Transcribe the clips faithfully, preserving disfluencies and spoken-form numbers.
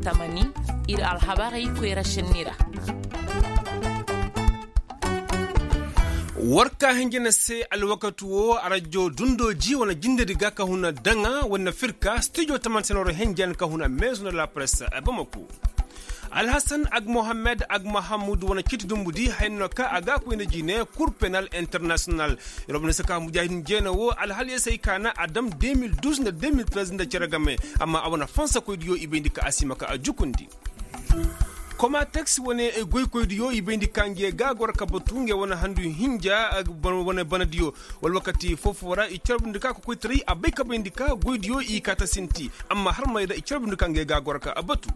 Tamani, ir alhabarey koyra šenni ra. War ka hinja na se alwakati wo arajo dundooji wane jindedi ga ka huna daŋa wane firka stijo taman senoro hinja na ka huna meezo na la press bamako. Alhasan ag mohammed ag mahamud wane ciiti dumbudi hayno ka a ga koy nda jine kur penal internasiyonal. Yer wo bane se ka mujahidin jeena wo alhal yer se ay ka na a dam deux mille douze nda deux mille treize nda cere game. Amma a wane fansa koydiyo i bayndi ka a si ma ka a jukundi. Komateks wane goykoydiyo i bayndi ka nge ga goro ka batu nge wane handu hinja wane banadiyo wala wakati foo-foo ra i carbundi ka kokoytaray a bay ka bayndi ka goydiyo i kaata sinti. Amma har may ra i carbundi ka nge ga goro ka batu.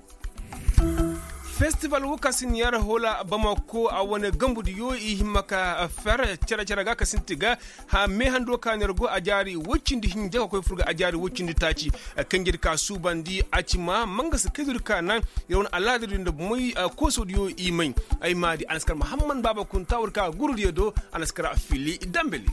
Festival wo ka si ni yar hoola bamako a wane gambudiyo i himma ka fer cere-cere ga ka sinti ga. Mee hando ka ni yar go a jaari woy cindi hinja ka koy fur ga a jaari woy cindi taaci. Kanjedi ka suubandi a ci ma mangasa kaydu di ka naŋ. Yer wane alaadadiyo nda bomoy koosodiyo i may. Ay maadi a na si kar mahamman baaba kunta war ka gurudiyo do. A na si kar fili dambeli.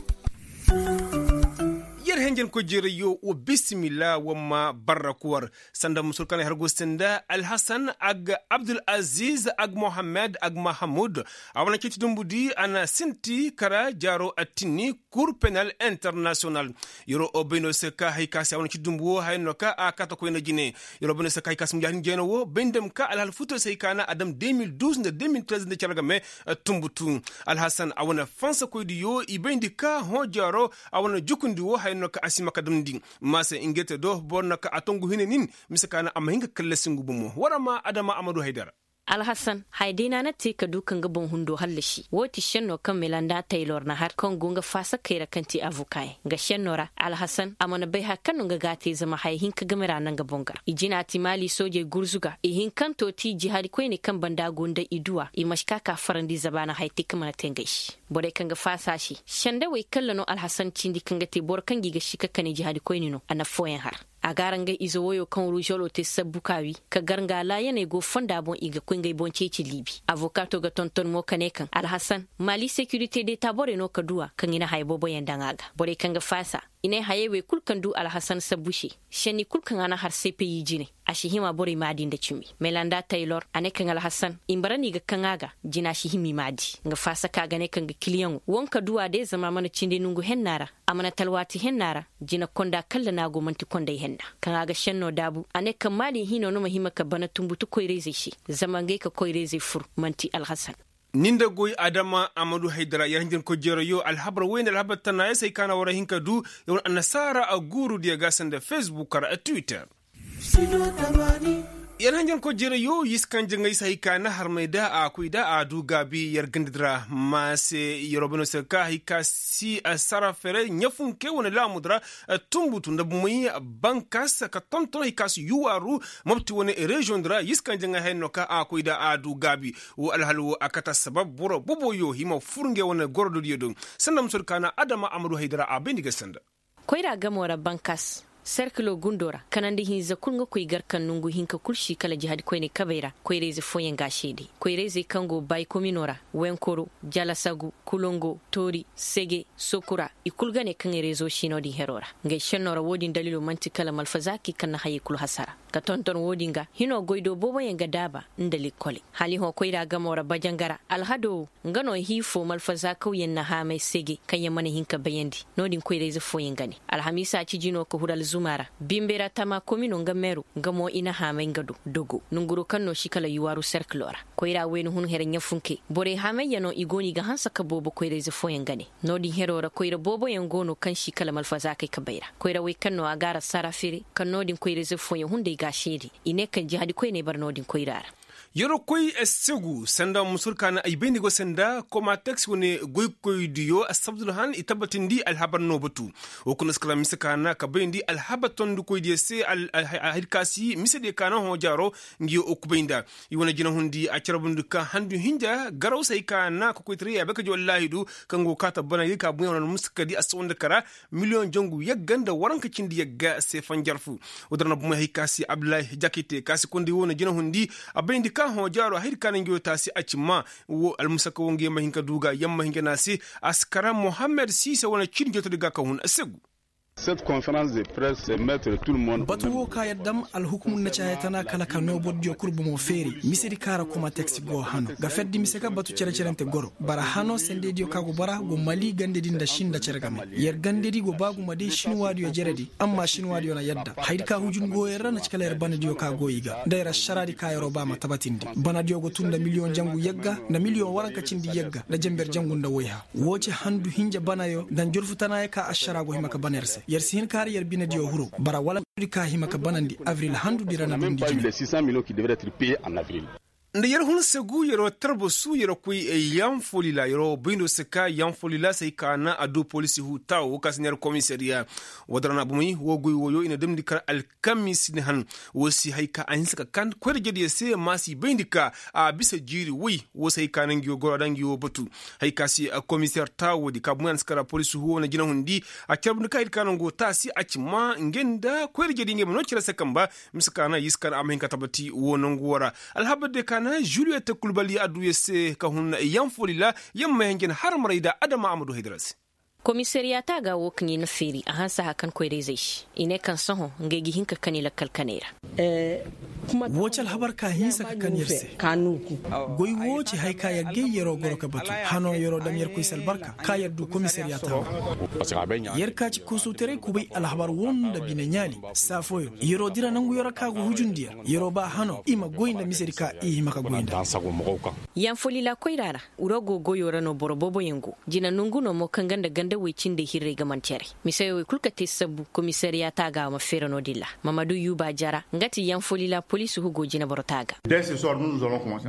Yer henjenkoy jeerayyo wa bisimilla wa ma barra kuwar. Sanda musur kanay har go senda alhasan ag abdul aziz ag mohammed ag mahamud. A wane citi dumbudi a na sinti kara jaaro attinni kur penal internasiyonal. Yeroo o bayno se ka hay ka se a wane citi dumbu wo hayno ka a kata koyna jine. Yeroo bayno se ka hay ka se mujahadin jeyno wo bay nda ma ka alhal futo se hay ka na a dam deux mille douze nda deux mille treize nda cere game. Tumbutu alhasan a wane fansa koydiyo i bayndi ka hõ jaaro. A wane jukundi wo haya no ka a si ma ka damndi. Maase ngey te do boro no ka a tongu hine nin. Mise ka na a ma hin ka kallasi ngu bomo war a ma adama a ma du haydara. Alhasan haya day no a na te ka du ka nga boŋ hundo hallasi wo ti šenno kaŋ melanda taylor na har kaŋ go nga faasakey ra kaŋ ti avokayaŋ nga šenno ra. Alhasan a mana bay haya kaŋ no nga ga a te zama haya hinka game ra na nga boŋ ga ra i jina ti maali soojey gurzu ga i hinkanto ti jihaadi koyney kaŋ banda go nda i duwa i ma si ka ka farandi zabaana haya te kaŋ mana te ngey se. Borey kaŋ ga faasa se sendawey kalla no alhasan cindi kaŋ ga te boro kaŋ ga i ga si ka kane jihaadi koyne no a na affooyaŋ har. A ga a ra ngey ize woyo kaŋ ruuzolo te sabbu ka wi ka gar nga laayaney go fonda boŋ i ga koy ngey boŋ ceeci liibi. Avokato ga tonton mo ka ne kaŋ alhasan maali sekirite deeta borey no ka duwa kaŋ i na haya booboyaŋ daŋ a ga borey kaŋ ga faasa. I ne hayey wey kul kaŋ du alhasan sabbu se. Senni kul kaŋ a na har sepeyi jine a si hima borey maadi nda cimi melanda taylor a ne kaŋ alhasan i ma bara no i ga kaŋ a ga. Jina si hima i maadi nga faasa ka ga ne kaŋ ga kiliyaŋo wanka duwa day zama a mana cindi nongu henna ra. A mana talwaati henna ra. Jina konda kalla no a go man'ti konday henna kaŋ a ga senno daabu a ne kaŋ maali hino no ma hima ka bana tumbutu koyrayzey se. Zama ngey ka koyrayzey fur man'ti alhasan. Ni nda goy adama a ma du haydara yer hanjankoy jeerayo alhabar woy nda alhabar tana yer se ay ka na war a hin ka du. Yer wane annasaara a guuru diya ga sanda fesbuk ra twitter. Yer hanjankoy jeerayo yer si kaŋ jaŋay se hay ka na harmay da a koy da a du gaabi yer gandadi ra. Ma se yer wo bano se ka hay ka si sara fere ɲafunke wane laamudi ra. Tumbutu nda bumey bankas ka tonton hay ka si yuwaaru. Mopti wane reziyoŋ di ra yer si kaŋ jaŋay hay no ka a koy da a du gaabi. Wo alhal wo a kata sabab boro boboyo hima fur ngey wane gorododiyo do. Sanda musodi ka na adama a ma du hay di ra a bay nda ga sanda. Koyra gamo ra bankas serkilo gundo ra kanandi hinza kul nga koy gar kaŋ nongu hinka kul si kala jihadi koyney kabey ra. Koyrayze fooyaŋ ga a seede koyrayzey kaŋ go bay komino ra wenkoro jalasagu kulongo toori sege sokura i kul ga ne kaŋ rezo si no-din hero ra. Ngey senno ra wo-din dalilo man'ti kala malfazaakey kaŋ na hayey kul hasara. Ka tonton wo-din ga hino goy do booboyaŋ ga daaba nda likkoley hala i hõ koyra gamo ra bajanga ra alhado wo nga no hii fo malfazaakawyaŋ na haamay sege kaŋ yaŋ mana hin ka bayandi. No-din koyrayze fooyaŋ ga ne alhamiisa ciji no ka huru alzuma ra. Bimbe ra tama komino nga meero nga mo i na haamay nga do dogo nonguro kaŋ no si kala yuwaaru serkilo ra. Koyra wayna hun here ɲafunke borey hamayyaŋo i go no i ga hanse ka boobo koyrayze fooyaŋ ga ne. No-din hero ra koyra booboyaŋ go no kaŋ si kala malfazaakey ka bay ra koyra wey kaŋ no a ga a ra sara fere kaŋ no-din koyrayze fooyaŋ hunday ga a seede. I ne kaŋ jihadi koyney bara no-din koyra ra. Yeroo koy segu sanda musur ka na ay bay nda i go sanda komateks wane goykoydiyo asabdul han i tabbatindi alhabar no batu. Wo kuna si kala mise ka na ka bayndi alhabar tondikoydiyo se. Hay ka si misediyo ka na hõ jaaro nga yo o kubay nda i wane jinahundi a carbundi ka handu hinja garaw se hay ka na ka koytaray ya bay ka ji wallaahi du. Kaŋ go ga kaata bana ga ka buɲa wane muska di a sawandi kara miliyoŋ jangu yagga nda waranka cindi yagga se fanjar fu. Wo dira na bumey hay ka si abdullahi jakite ka si kondi wo na jinahundi a bayndi ka hõ jaaro haydi ka na nga yo taasi a ci ma. Wo almusaka wo nga yo ma hin ka du ga yamma hin ka na se. A si kara mohammed siise wane ciini jotodi ga ka hun a segu. Batu woo ka yer dam alhukumur na ci haya tana kala ka noo borodiyo kul bomo feeri misedi kaŋ ra komateks go hano ga ferdi mise ga batu cere-cerente goro bara hano sendediyo ka go bara go mali gandedi nda sinda cere game. Yer gandedi go ba gumo day sinuwaadiyo jeredi amma sinuwaadiyo na yadda hayadi ka hujun go yer ra na ci kala yer banadiyo ka go i ga nda yer ašaraadi ka yer'o ba ma tabatindi. Banadiyo go tun nda miliyoŋ jangu yagga nda miliyoŋ waranka cindi yagga nda jenber jangu nda woyha. Woo ci handu hinja banayo nda njorfu tanaayo ka ašaraa go hima ka bana yer se yer si hin ka har yer binediyo huru bara wala nda yer ka hima ka banandi abril handudi ra na dundi jine. Nda yer hun segu yer'o tarbasu yer'o koy yanfolila yer'o bayndo se ka yanfolila se hay ka na a du poliisi huu taawo ka si neera komisariya. Woo da ra na bomey woo goy wooyo i na damndi kar alkamis ni han. Woo si hay ka a hinsa ka kan koyra jediyo se maasi bayndi ka a bisa jiiri woy. Woo si hay ka na ngi woo goro a da ngi woo batu. Hay ka si komiseer taawoodi ka bomey a na si kar poliisi huu woo na jinahundi a carbundi ka hay ka na ngi woo taasi a ci maa ngey nda koyra jediyo ngey ma noo cere se kamba. Mise ka na yee si ka na a ma hin ka tabati woo nongu woo ra. Alhabar diyo ka na juliyet kulbali adduya se ka hun yanfoli ra. Yer ma may hanjan har maray nda adama a ma du haydara se. Komisariya taaga woo kaŋ i na feeri a hanse haya kan koyra-izey se i ne kaŋ sohõ ngey ga hin ka kani lakkal kaney ra. Woo ci alhabar ka hinsa ka kani yer se. Goy woo ci haya ka yer gay yer'o goro ka batu hano yer'o dam yerkoy se albarka ka yer du komisariya taaga. Yer ka ci kosowtaray kubay alhabar woo nda bine ɲaali saa fooyaŋ yer'o dira nangu yer'o ka go hujundi yer yer'o ba hano i ma goy nda misedi ka i hima ka goy nda. Yanfolila koyra ra wuro go goyo ra no boro booboyaŋ go. Jina nongu no mo kaŋ ga nda ganda woy cindey hirrey ga man cere. Miseyo woy kul ka te sabbu komisariya taaga ma feera no-din ra. Mamadu yuuba jara nga ti yanfolila poliisi hugo jineboro taaga.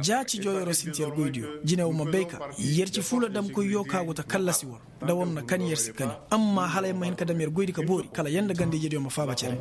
Ja cijo yer'o sinti yer goydiyo jine wo ma bay ka yer ci fuula damkoyyo ka go ta kallasi war. Nda war na kani yer si kani amma hala yer ma hin ka dam yer goydi ka boori kala yer nda ganda-ijediyo ma faaba cere.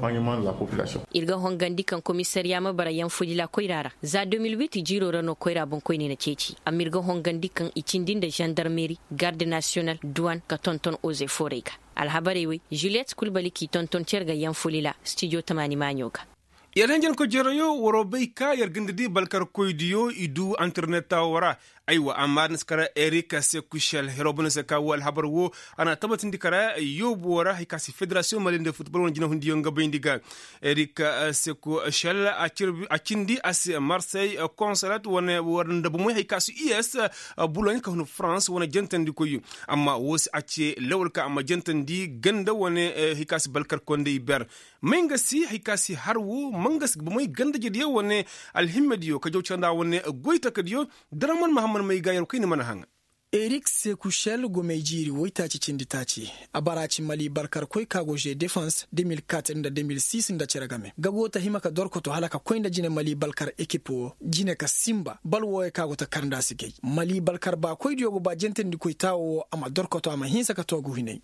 Ir ga hongandi kaŋ komisariya ma bara yanfodila koyra ra za deux mille huit jiiro ra no koyra boŋkoyney na ceeci amma ir ga hongandi kaŋ i cindi nda zandarmeri garde nasiyonal duwan ka tonton oze foorey ga. Alhabarey wey juliyet kulbali k'i tonton cer ga yanfodila stijo tamaani maaɲo ga. Yer hanjankoy jereyo waroo bay ka yer ganda di balkarkoydiyo i du antarneta woo ra. Aywa amma da na si kara erik sekušel heroo bana se ka woo alhabar woo a na tabatindi kara yoobo woo ra hari ka si federasiyoŋ mali nda futbol wane jinahundiyo nga bayndi ga. Erik sekušel a cindi a se marsey konsolat wane war nda bomey hari ka si u s boloɲ ka hun farans wane jantandikoyyo. Amma woo si a ce lawal ka a ma jantandi ganda wane hari ka si balkarkondey ber. May nga si hari ka si har woo ma nga si bomey ganda jediyo wane alhimmediyo ka jaw canda wane goy takadiyo. Daraman mahammad may ga yer kay ni mana haŋa. Erik sekušel gomey jiiri woytaaci cindi taaci. A bara ci mali barkarkoy ka go ze defans deux mille quatre nda deux mille six nda cere game ga go ta hima ka dorkoto hala ka koy nda jine mali balkar ekip woo jine ka sinba bal wooyo ka go ta kar nda a si gay mali balkar baakoydiyo go ba jentandikoy taawo woo a ma dorkoto a ma hinsa ka toogu hinay.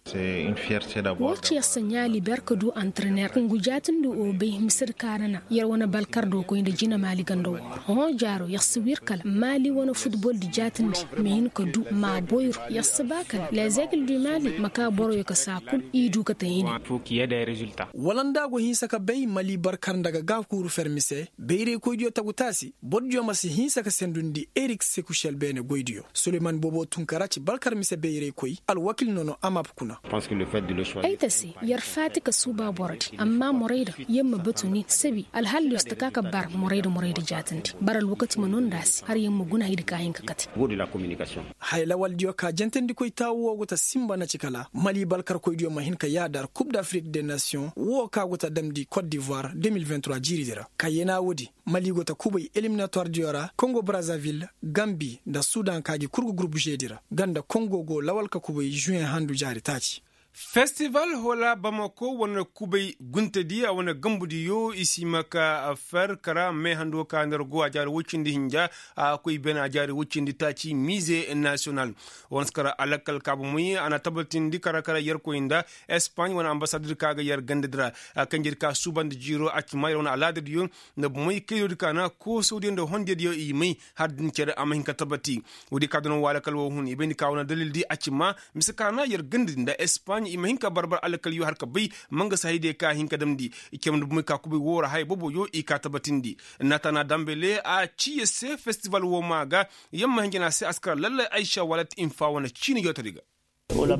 Woo ci yer se ɲaali ber ka du antrener ngu jaatindi woo bay mise di kaarana yer wane balkar do koy nda jine maali ganda woo ra hõ jaaro yer si wir kala maali wane futbol di jaatindi ma hin ka du ma boyru yer si ba kala lezegle du maali ma ka boroyo ka saa kul i du ka ta hini. Wala nda a go hinsa ka bay mali barkar nda ga gaakuuru fermi se bayraykoydiyo tagu taasi bordiyo ma si hinsa ka sendundi erik sekušel beene goydiyo suleyman boobo tun ka ra ci balkar mise bayraykoy alwakil nono amap kuna. Ay ta se yer faati ka suuba borodi amma morayda yer ma batu nin sabi alhalli yer si ta ka ka bar morayda morayda jaatandi bar alwakati ma noo nda a se har yer ma guna haydi ka hin ka kate. Haya lawaldiyo ka jantandikoy taawu woo go ta sinba na ci kala mali balkarkoydiyo ma hin ka yaadar kub d'afrik de nasiyoŋ woo ka go ta damndi kot divoir deux mille vingt trois jiiridi ra ka yeenaa woodi mali go ta kubay eliminatoirdiyo ra kongo brazavil gambi nda sudan ka gi kul ga gurub žedi ra nga nda kongo go lawal ka kubay žuweŋ handu jaari taaci. Festival hola bamako wane kubay guntedi a wane gambudiyo i si hima ka fer kara meehando ka nda yer go a jaari woy cindi hinja a koy beene a jaari woy cindi taaci mize nasiyonal. Wane si kara alakal ka bomey a na tabatindi kara kara yerkoy nda espaaɲ wane ambasadir ka ga yer gandadi ra. Kanjedi ka suubandi jiiro a ci maa yer wane alaadadiyo nda bomey kaydiyo di ka na koosodiyo nda hondiyadiyo i may har din cere a ma hin ka tabati. Woodi ka danaŋ woo alakal woo hun i bayndi ka wane dalildi a ci maa mise ka na yer gandadi nda espaaɲ i ma hin ka barbar alakalyo har ka bay ma nga si hayadiyo ka hin ka damndi. Cere nda bomey ka kubay woo ra haya booboyo i ka tabatindi. Natana dambele a ci yer se festival woo maa ga yer ma hin jana se a si kara lallay aysa walat infa wane ciini jootadi ga. Hola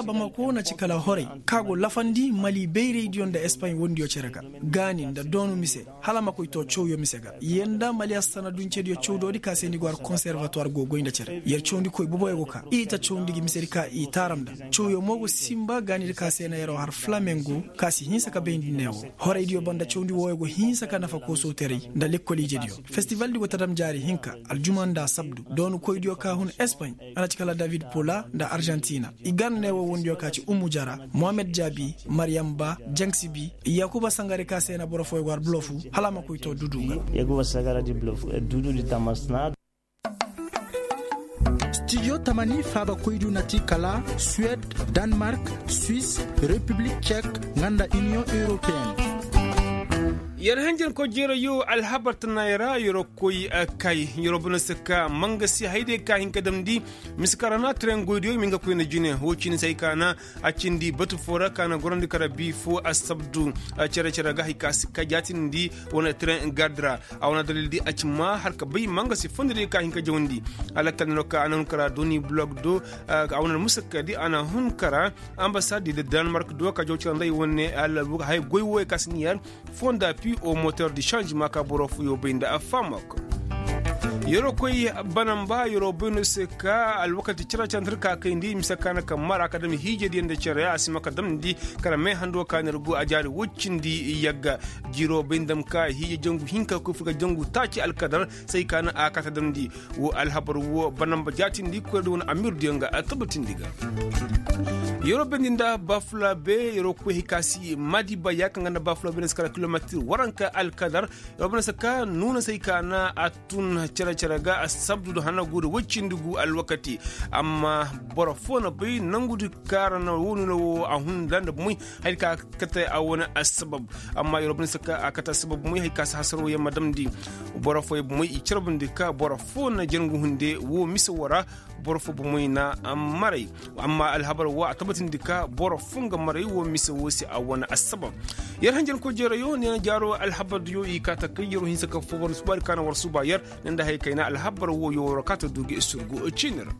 bamako na ci kala horay, ka go lafandi mali bayraydiyo nda espaɲ wondiyo cere ga, gaani nda doonu mise, hala a ma koy too cawyo mise ga yer nda mali assana duncediyo cawdoodi ka se ni go har konservatuwar go goy nda cere yer cawndikoy boboyo go ka i ta cawndi gi misedi ka i taaram nda. Cawyo mo go sinba gaanidi ka se na yeroo har flamengo, ka si hinsa ka bayndi neewo. Horaydiyo banda cawndi wooyo go hinsa ka nafa koosooteray nda lekkol ijediyo. Festivaldi go ta dam jaari hinka, aljuma nda asabdu. Doonukoydiyo ka hun espaɲ, a na ci kala david pola nda arjantina. I gan neewo wondiyo ka ci umu jara, mohammed jaabi, maryam ba, jaŋ sibi, yaakuba sangare ka se na boro fooyo go har blofu, hala a ma koy too dudu ga. Studio tamani faabakoydiyo na ti kala suwed, danmark, swis, repiblik cek, nga nda iniyoŋ europeen. Yer hanjankoy jeerayo alhabar tanaayoo ra yeroo koy kay, yeroo bana se ka mangasi hayday ka hin ka damndi. Mise ka ra na tren goydiyo i ma hin ka koy nda jine woo cindi se hay ka na a cindi batu foo ra ka na gorandi kara bii foo assabdu. Cere-cere ga hay ka si ka jaatindi wane tren gardi ra. A wane dalil di a ci maa har ka bay mangasi fondodiyo ka hin ka jawandi. Alakal nero ka a na hun kara doni blog do. A wane musakka di a na hun kara ambasad di da danmark do ka jaw cira nda i wane alal buga hay goy wooyo ka si ni yar fonda pi o motor di sanzima ka boro fooyo bay nda a faamako. Yeroo koy banamba yeroo bayno se ka alwakati cere-cere nda ir ka kayndi mise ka na ka mara ka dam hiijediyo nda cere a si ma ka damndi. Kala mee hando ka na ir go a jaari woy cindi yagga. Jiroo bay nda dam ka hiije jangu hinka koy fur ga jangu taaci alkadar. Say ka na a kata damndi. Woo alhabar woo banamba jaatindi koyra di wane amirdiyo nga a tabatindi ga. Yeroo bayndi nda bafula be yeroo koy hay ka si madiba yaaka nga nda bafula be na si kala kilometir waranka alkadar. Yeroo bayndi se ka nuuna se hay ka na a tun cere-cere ga assabdu nda hana guu nda woy cindi guu alwakati. Amma boro foo na bay nangudi ka ra na woo nuuna woo a hun nda nda bomoy. Hay ka kate a wane assabab. Amma yeroo bayndi se ka a kate assabab bomoy hay ka si hasaroo yer ma damndi. Boro fooyo bomoy i carbundi ka boro foo na jangu hunde woo mise woo ra. Boro foo bomoy na maray. Amma alhabar woo a tabatindi ka boro foo nga maray woo mise woo se a wane assabab. Yer hanjankoy jeerayo neena jaaroo alhabardiyo i kaa ta kay yeroo hinsa ka foo war subaari ka na war suba yer. Ne nda hay kayna alhabar woo yoo war kaa ta du gi surgu ciini ra.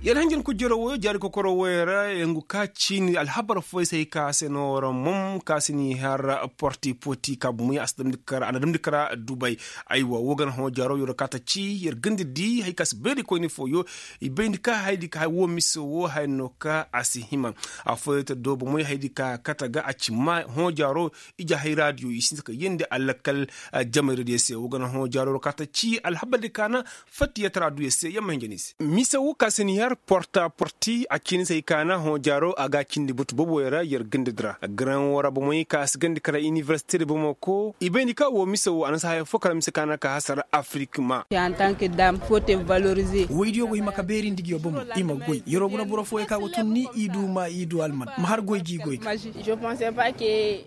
Yer hanjankoy jeerayo wooyo jaari kokoro wooyo ra. Ngu ka ciini alhabar fooyo se hay ka se no ra mom ka se ni har porti poti ka bomoy a si damndi kara a na damndi kara dubay. Aywa woo gana hõ jaaro yer ka ta ci yer ganda di hay ka si bayndi koyni fooyo. I bayndi ka haydi ka hay woo mise woo hay no ka a si hima. Afooyo ta doo bomoy haydi ka kate ga a ci maa hõ jaaro. Ije hayraadiyo i sinti ka yeendi alakal jamayraadiyo se woo gana hõ jaaro yer ka ta ci alhabardi ka na fattiyataraa duyo se yer ma hinja ni se. Mise woo ka se ni har porta porti a ciini se hay ka na hõ jaaro a ga a cindi batu booboyo ra yer gandadi ra garan woo ra bomoy ka si gandi kara iniversite di bomo ko i bayndi ka woo mise woo a na si haya foo kara mise ka na ka hasara afirik ma. Woydiyo go hima ka beerindi ngiyo bomo i ma goy yeroo guna boro fooyo ka go tun ni i du ma i du alman ma har goy gi goy ga.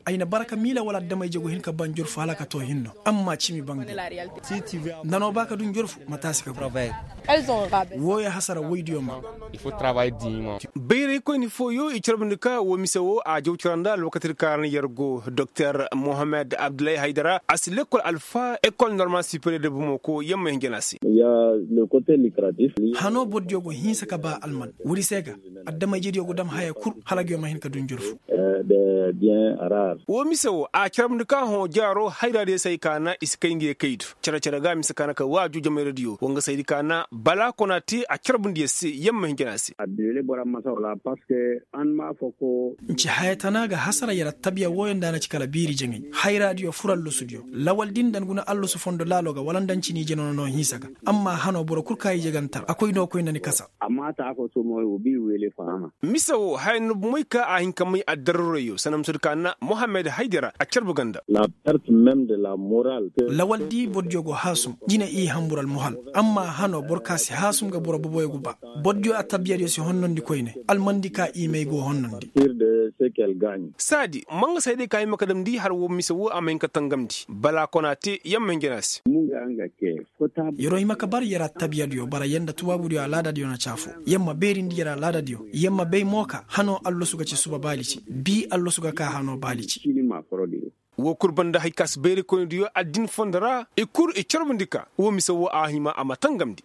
Ay na bara ka miila wala adama-ije go hin ka ba njorfu hala ka too hinno amma cimi bangay. Nda no ba ka du njorfu ma taasi ka goy. Wooyo hasara woydiyo ma. Bayraykoyni fooyo i carbundi ka woo mise woo a jaw cara nda alwakatidi ka ra na yer go doktor mohammed abdullahi haydara a si lekkol alfa ekol normal superiyer de bomo ko yer ma hin jana se. Hanoo borodiyo go hinsa ka ba alman woodi se ga adama-ijediyo go dam haya kul hala nguyo ma hin ka du njorfu. Woo mise woo a carbundi ka hõ jaaro hayraadiyo se hay ka na i si kay nguyo kaydu. Cere-cere ga mise ka na ka waaju jamayradiyo woo nga saydi ka na bala kona te a carbundi yer se yer ma hin jana se. N ci haya tana ga hasara yer attabiya wooyo nda a na ci kala biiri jaŋay hayraadiyo fur allosudiyo lawaldi nda ni guna allosu fondo laalo ga wala nda ni ci ni ije nono no hinsa ga. Amma hanoo boro kul ka ije ga ni tar a koy no koy nda ni kasa. Mise woo haya nda bomoy ka a hin ka may addarrurayo sanda mise di ka na mohammed haydara a carbu ganda. Lawaldi borodiyo go haasum jine i hambur almuhal. Amma hanoo boro ka si haasum ga boro boboyo go ba. Borodiyo attabiyadiyo si honnondi koyne almandi ka i may go honnondi. Saadi ma nga se hay day ka hima ka damndi har woo mise woo a ma hin ka tangamndi bala kona te yer ma hin jana se. Yer'o hima ka bar yer a tabiyadiyo bara yer nda tubaabudiyo alaadadiyo na ci afoo. Yer ma beerindi yer alaadadiyo. Yer ma bay mo ka hanoo allasu ga ci suba baali ci bii allasu ga kaa hanoo baali ci. Woo kul banda hay ka si bayrikoynidiyo addin fondo ra i kul i corbandi ka woo mise woo a hima a ma tangamndi.